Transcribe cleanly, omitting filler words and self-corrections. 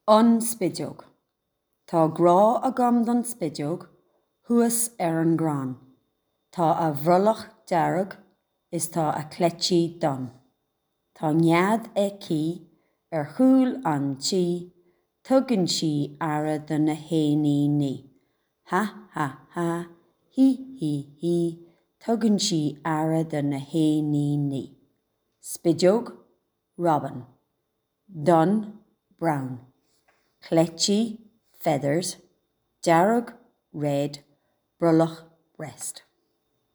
An Spideog. Tá grá agam don spideog thuas ar an gcrann. Tá a brollach dearg is tá a cleití donn. Tá nead aici ar chúl an tí, tugann sí aire do na héiníní. Ha ha ha, hí hí hí, tugann sí aire do na héiníní. Spideog, robin. Donn, brown. Cleití, feathers. Dearg, red. Brollach, breast.